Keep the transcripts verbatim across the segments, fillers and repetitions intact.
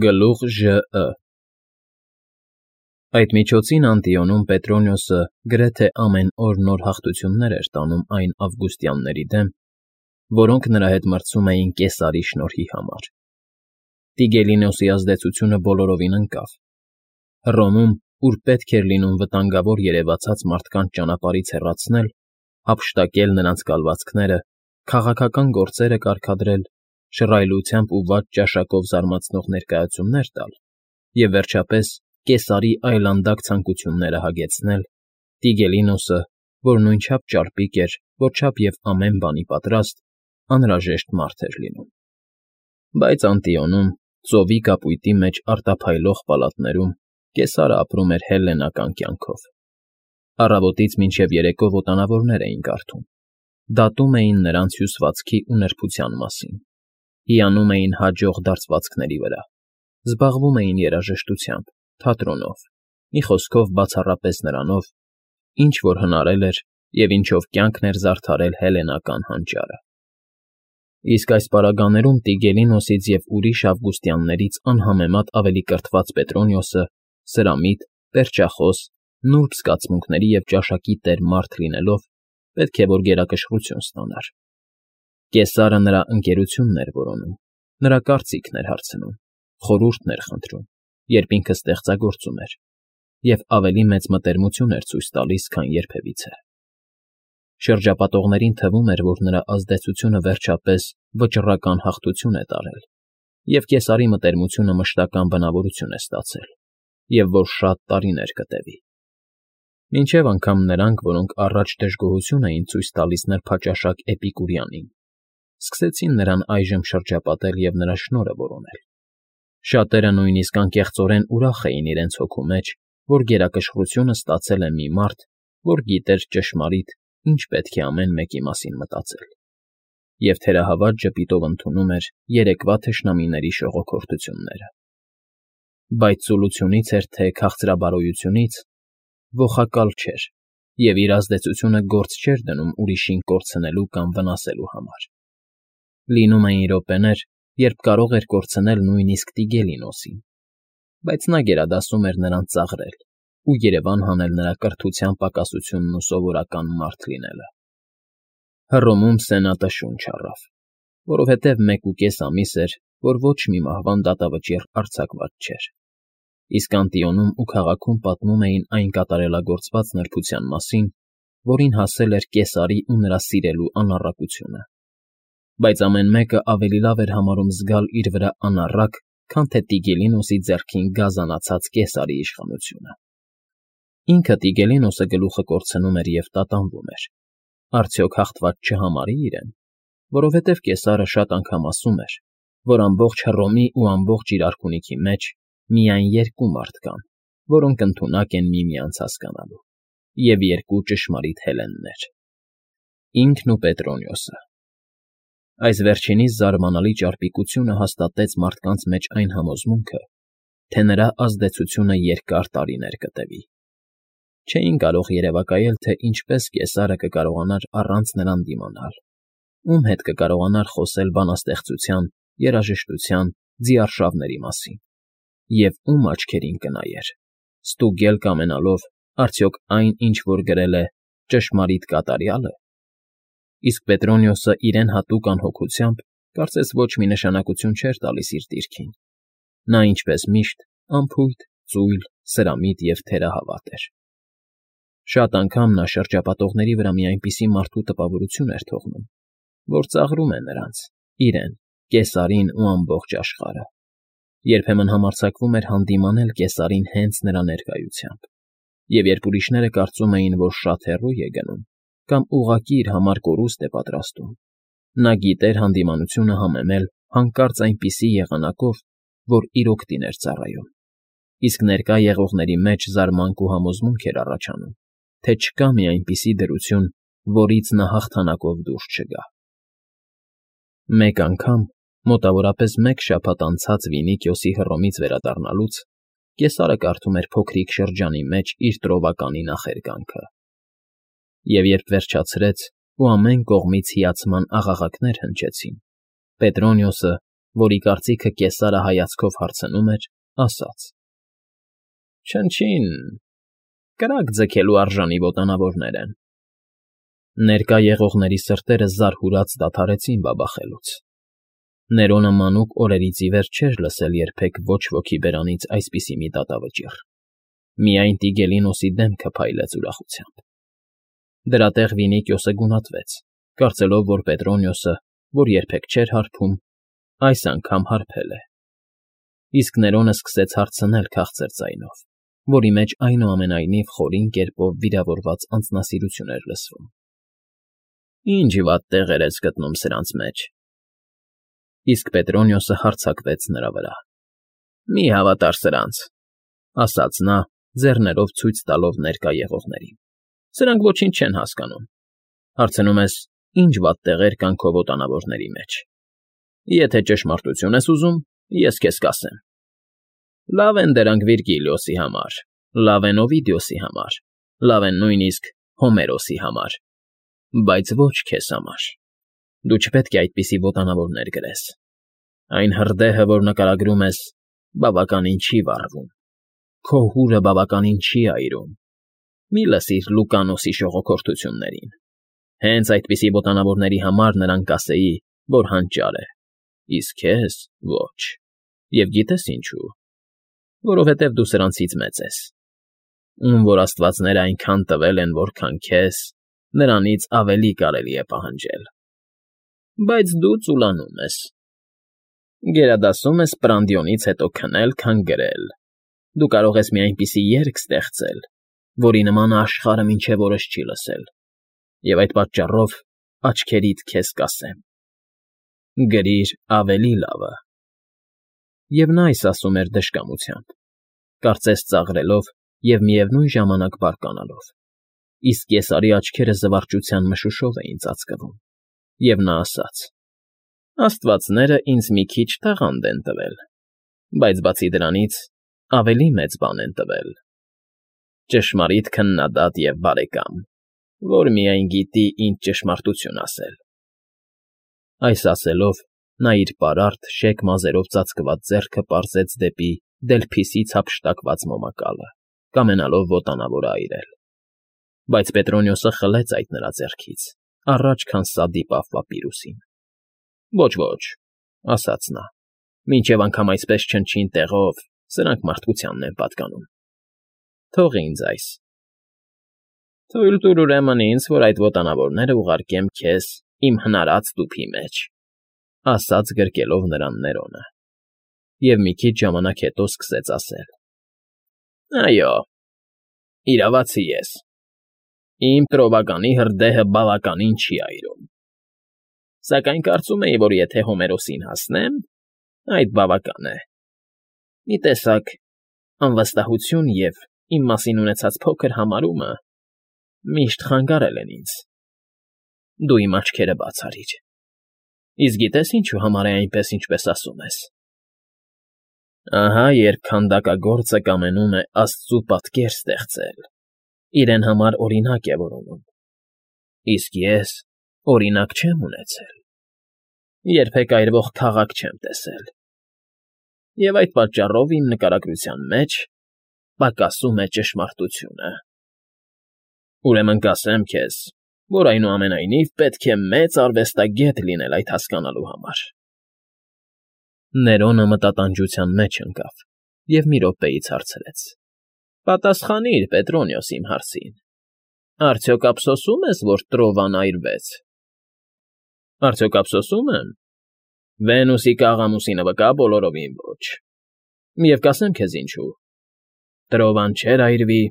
Գլուխ Ժ Ը Այդ միջոցին Անտիոնում Պետրոնիոսը գրեթե ամեն օր նոր հաղթություններ էր տանում այն ավգուստյանների դեմ, որոնք նրա հետ մրցում էին Կեսարի շնորհի համար։ Տիգելինոսի ազդեցությունը բոլորովին ընկավ։ Հռոմում, ուր պետք էր լինում վտանգավոր երևացած մարդկանց ճանապարհից հեռացնել, հափշտակել նրանց կալվածքները, քաղաքական գործերը կարգադրել, շռայլությամբ ու վատ ճաշակով զարմացնող ներկայացումներ տալ և, վերջապես, Կեսարի այլանդակ ցանկությունները հագեցնել, Տիգելինոսը, որ նույնչափ ճարպիկ էր, որչափ և ամեն բանի պատրաստ, անհրաժեշտ մարդ էր լինում։ Բայց Անտիոնում, ծովի կապույտի մեջ արտափայլող պալատներում Կեսարը ապրում էր հելլենական կյանքով։ Առավոտից մինչև երեկո ոտանավորներ էին կարդում, դատում էին նրանց հյուսվածքի ու նրբության մասին, հիանում էին հաջող դարձվածքների վրա, զբաղվում էին երաժշտությամբ, թատրոնով, մի խոսքով բացառապես նրանով, ինչ որ հնարել էր և ինչով կյանքն էր զարդարել հելլենական հանճարը։ Իսկ այս պարագաներում Տիգելինոսից և ուրիշ ավգուստյաններից անհամեմատ ավելի կրթված Պետրոնիոսը, սրամիտ, պերճախոս, նուրբ զգացմունքների և ճաշակի տեր մարդ լինելով, պետք է որ գերակշռություն ստանար։ Կեսարը նրա ընկերությունն էր որոնում, նրա կարծիքն էր հարցնում, խորհուրդներ խնդրում, երբ ինքը ստեղծագործում էր, և ավելի մեծ մտերմություն էր ցույց տալիս, քան երբևիցե։ Շրջապատողներին թվում էր, որ նրա ազդեցությունը վերջապես վճռական հաղթություն է տարել, և Կեսարի մտերմությունը մշտական բնավորություն է ստացել, և որ շատ տարիներ կտևի։ Մինչև անգամ նրանք, որոնք առաջ դժգոհություն էին ցույց տալիս նրբաճաշակ Էպիկուրյանին, սկսեցին նրան այժմ շրջապատել և նրա շնորհը որոնել։ Շատերը նույնիսկ անկեղծորեն ուրախ էին իրենց հոգու մեջ, որ գերակշռությունը ստացել է մի մարդ, որ գիտեր ճշմարիտ ինչ պետք է ամեն մեկի մասին մտածել, և թերահավատ ժպիտով ընդունում էր երեկվա թշնամիների շողոքորթությունները։ Բայց ծուլությունից էր թե քաղցրաբարոյությունից, ոխակալ չէր և իր ազդեցությունը գործ չէր դնում ուրիշին կորցնելու կամ վնասելու համար։ Լինում էին րոպեներ, երբ կարող էր կորցնել նույնիսկ Տիգելինոսին, բայց նա գերադասում էր նրան ծաղրել ու երևան հանել նրա կրթության պակասությունն ու սովորական մարդ լինելը։ Հռոմում սենատը շունչ առավ, որովհետև մեկուկես ամիս էր, որ ոչ մի մահվան դատավճիռ արձակված չէր, իսկ Անտիոնում ու քաղաքում պատմում էին այն կատարելագործված նրբության մասին, որին հասել էր Կեսարի ու նրա սիրելու անառակությունը։ Բայց ամեն մեկը ավելի լավ էր համարում զգալ իր վրա անառակ, քան թե Տիգելինոսի ձեռքին գազանացած Կեսարի իշխանությունը։ Ինքը Տիգելինոսը գլուխը կորցնում էր և տատանվում էր, արդյոք հաղթված չհամարի՞ իրեն, որովհետև Կեսարը շատ անգամ ասում էր, որ ամբողջ Հռոմի ու ամբողջ իր արքունիքի մեջ միայն երկու մարդ կան, որոնք ընդունակ են միմյանց հասկանալու, և երկու ճշմարիտ հելլեններ՝ ինքն ու Պետրոնիոսը։ Այս վերջինիս զարմանալի ճարպիկությունը հաստատեց մարդկանց մեջ այն համոզմունքը, թե նրա ազդեցությունը երկար տարիներ կտևի։ Չէին կարող երևակայել, թե ինչպես Կեսարը կկարողանար առանց նրան դիմանալ, ում հետ կկարողանար խոսել բանաստեղծության, երաժշտության, ձիարշավների մասին, և ում աչքերին կնայեր, ստուգել կամենալով, արդյոք այն, ինչ որ գրել է, ճշմարիտ կատարյա՞լ է։ Իսկ Պետրոնիոսը իրեն հատուկ անհոգությամբ կարծես ոչ մի նշանակություն չէր տալիս իր դիրքին. նա, ինչպես միշտ, անփույթ, ծույլ, սրամիտ և թերահավատ էր։ Շատ անգամ նա շրջապատողների վրա մի այնպիսի մարդու տպավորություն էր թողնում, որ ծաղրում է նրանց, իրեն, Կեսարին ու ամբողջ աշխարհը։ Երբեմն համարձակվում էր հանդիմանել Կեսարին հենց նրա ներկայությամբ, և երբ ուրիշները կարծում էին, որ շատ հեռու է գնում կամ ուղղակի իր համար կորուստ է պատրաստում, նա գիտեր հանդիմանությունը համեմել հանկարծ այնպիսի եղանակով, որ իր օգտին էր ծառայում, իսկ ներկա եղողների մեջ զարմանք ու համոզմունք էր առաջանում, թե չկա մի այնպիսի դրություն, որից նա հաղթանակով դուրս չգա։ Մեկ անգամ, մոտավորապես մեկ շաբաթ անցած Վինիքիոսի Հռոմից վերադառնալուց, Կեսարը կարդում էր փոքրիկ շրջանի մեջ իր տրովականի նախերգանքը։ Եվ երբ վերջացրեց ու ամեն կողմից հիացման աղաղակներ հնչեցին, Պետրոնիոսը, որի կարծիքը կեսարը հայացքով հարցնում էր, ասաց. Չնչին, կրակ ձգելու արժանի ոտանավորներ են։ Ներկա եղողների սրտերը զարհուրած դադարեցին բաբախելուց։ Ներոնը մանուկ օրերից ի վեր չէր լսել երբեք ոչ ոքի բերանից այսպիսի մի դատավճիռ։ Միայն Տիգելինոսի դեմքը փայլեց ուրախությամբ։ Դրա տեղ Վինիկիոսը գունատվեց, կարծելով, որ Պետրոնիոսը, որ երբեք չէր հարբում, այս անգամ հարբել է։ Իսկ Ներոնը սկսեց հարցնել քաղցր ձայնով, որի մեջ այնուամենայնիվ խորին կերպով վիրավորված անձնասիրություն էր լսվում։ Ինչ վատ տեղեր ես գտնում սրանց մեջ։ Իսկ Պետրոնիոսը հարձակվեց նրա վրա։ Մի հավատար սրանց, ասաց նա, ձեռներով ցույց տալով ներկա եղողներին։ Սրանք ոչինչ չեն հասկանում։ Հարցնում ես, ինչ վատ տեղեր կան քո ոտանավորների մեջ։ Եթե ճշմարտություն ես ուզում, ես քեզ կասեմ։ Լավ են դրանք Վիրգիլիոսի համար, լավ են Օվիդիոսի համար, լավ են նույնիսկ Հոմերոսի համար, բայց ոչ քեզ համար։ Դու չպետք է այդպիսի ոտանավորներ գրես։ Այն հրդեհը, որ նկարագրում ես, բավականին չի վառվում։ Քո հուրը բավականին չի այրում։ Մի լսիր Լուկանոսի շողոքորթություններին։ Հենց այդպիսի ոտանավորների համար նրան կասեի, որ հանճար է, իսկ քեզ ոչ։ Եվ գիտես ինչու։ Որովհետև դու սրանցից մեծ ես։ Ում որ աստվածները այնքան տվել են, որքան քեզ, նրանից ավելի կարելի է պահանջել։ Բայց դու ծուլանում ես։ Գերադասում ես Պրանդիոնից հետո քնել, քան գրել։ Դու կարող ես մի այնպիսի երգ ստեղծել, որի նմանը աշխարհը մինչև օրս չի լսել, և այդ պատճառով աչքերիդ քեզ կասեմ. գրիր ավելի լավը։ Եվ նա այս ասում էր դժկամությամբ, կարծես ծաղրելով և միևնույն ժամանակ բարկանալով, իսկ Կեսարի աչքերը զվարճության մշուշով էին ծածկվում, և նա ասաց. Աստվածները ինձ մի քիչ տաղանդ են տվել, բայց բացի դրանից ավելի մեծ բան են տվել. ճշմարիտ քննադատ և բարեկամ, որ միայն գիտի ինչ ճշմարտություն ասել։ Այս ասելով, նա իր պարարտ, շեկ մազերով ծածկված ձեռքը պարզեց դեպի Դելփիսից հափշտակված մոմակալը, կամենալով ոտանավորը այրել։ Բայց Պետրոնիոսը խլեց այդ նրա ձեռքից, առաջ քան սա դիպավ պապիրուսին։ Ոչ, ոչ, ասաց նա, մինչև անգամ այսպես չնչին տեղով, սրանք մարդկությանն են պատկանում։ Թող ինձ այս։ Թույլ տուր ուրեմն ինձ, որ այդ ոտանավորները ուղարկեմ քեզ իմ հնարած տուփի մեջ, ասաց գրկելով նրան Ներոնը։ Եվ մի քիչ ժամանակ հետո սկսեց ասել. Այո, իրավացի ես։ Իմ տրովականի հրդեհը բավականին չի այրում։ Սակայն կարծում էի, որ եթե Հոմերոսին հասնեմ, այդ բավական է։ Մի տեսակ անվստահություն և իմ մասին ունեցած փոքր համարումը միշտ խանգարել են ինձ։ Դու իմ աչքերը բաց արիր։ Իսկ գիտես ինչու համար է այնպես, ինչպես ասում ես։ Ահա երբ քանդակագործը կամենում է Աստծու պատկեր ստեղծել, իրեն համար օրինակ է որոնում։ Իսկ ես օրինակ չեմ ունեցել։ Երբեք այրվող քաղաք չեմ տեսել։ Եվ այդ պատճառով իմ նկարագրության մեջ պակասում է ճշմարտությունը։ Ուրեմն կասեմ քեզ, որ այնուամենայնիվ պետք է մեծ արվեստագետ լինել այդ հասկանալու համար։ Ներոնը մտատանջության մեջ ընկավ և մի րոպեից հարցրեց. Պատասխանիր, Պետրոնիոս, իմ հարցին. արդյոք ափսոսում ես, որ Տրովան այրվեց։ Արդյոք ափսոսում եմ։ Վենուսի կաղամուսինը վկա բոլորովին ոչ։ Եվ կասեմ քեզ ինչու։ Տրովան չէր այրվի,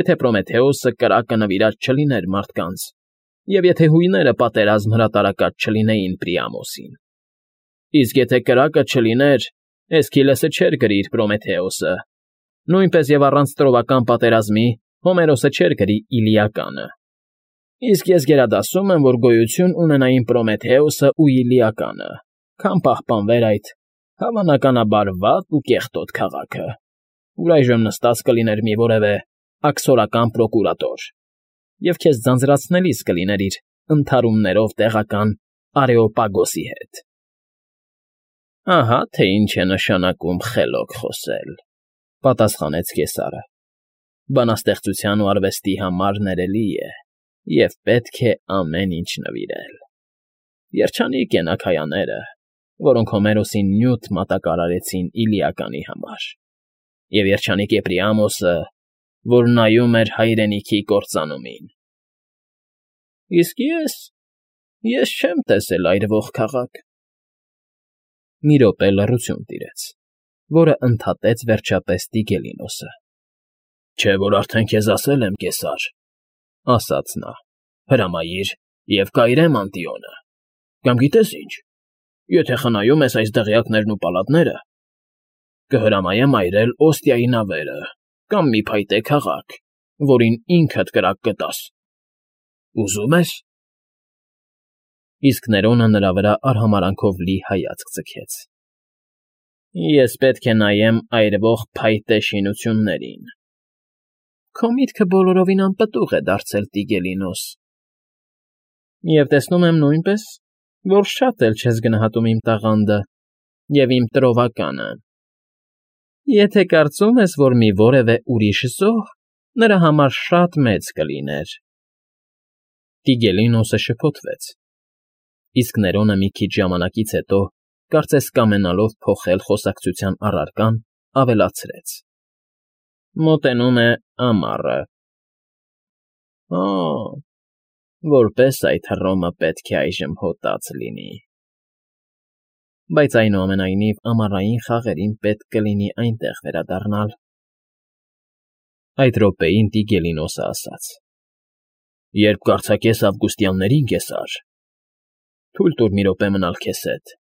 եթե Պրոմեթեոսը կրակը նվիրած չլիներ մարդկանց, և եթե հույները պատերազմ հրատարակած չլինեին Պրիամոսին։ Իսկ եթե կրակը չլիներ, Էսքիլեսը չէր գրի իր Պրոմեթեոսը, նույնպես և առանց տրովական պատերազմի Հոմերոսը չէր գրի Իլիականը։ Իսկ ես գերադասում եմ, որ գոյություն ունենային Պրոմեթեոսը ու Իլիականը, քան պահպանվեր այդ հավանականաբար վատ ու կեղտոտ քաղաքը, ուր այժմ նստած կլիներ մի որևէ աքսորական պրոկուրատոր, և քեզ ձանձրացնելիս կլիներ իր ընդհարումներով տեղական Արեոպագոսի հետ։ Ահա թե ինչ է նշանակում խելոք խոսել,֊ պատասխանեց կեսարը։ Բանաստեղծության ու արվեստի համար ներելի է և պետք է ամեն ինչ նվիրել։ Երջանիկ են աքայաները, որոնք Հոմերոսին նյութ մատակարարեցին Իլիականի համար, և երջանիկ է Պրիամոսը, որ նայում էր հայրենիքի կործանումին։ Իսկ ես… ես չեմ տեսել այրվող քաղաք… Մի րոպե լռություն տիրեց, որը ընդհատեց վերջապես Տիգելինոսը։ ֊ Չէ՞ որ արդեն քեզ ասել եմ, կեսար,֊ ասաց նա,֊ հրամայիր և կայրեմ Անտիոնը, կամ գիտես ինչ, եթե խնայում ես այս դղյակներն ու պալատները, կհրամայեմ այրել Օստիայի նավերը կամ մի փայտե քաղաք, որին ինքդ կրակ կտաս… Ուզո՞ւմ ես… Իսկ Ներոնը նրա վրա արհամարհանքով լի հայացք ձգեց։ ֊ Ես պետք է նայեմ այրվող փայտե շինություններին… Քո միտքը բոլորովին անպտուղ է դարձել, Տիգելինոս, և տեսնում եմ նույնպես, որ շատ էլ չես գնահատում իմ տաղանդը և իմ տրովականը… Եթե կարծում ես, որ մի որևէ ուրիշ զոհ նրա համար շատ մեծ կլիներ… Տիգելինոսը շփոթվեց, իսկ Ներոնը մի քիչ ժամանակից հետո, կարծես կամենալով փոխել խոսակցության առարկան, ավելացրեց. մոտենում է ամառը… Օ՜, որպես այդ Հռոմը պետք է այժմ հոտած լինի… Բայց այնուամենայնիվ ամառային խաղերին պետք կլինի այնտեղ վերադառնալ… Այդ րոպեին Տիգելինոսը ասաց. ֊ Երբ կարձակես ավգուստյաններին, կեսար, թույլ տուր մի րոպե մնալ քեզ հետ…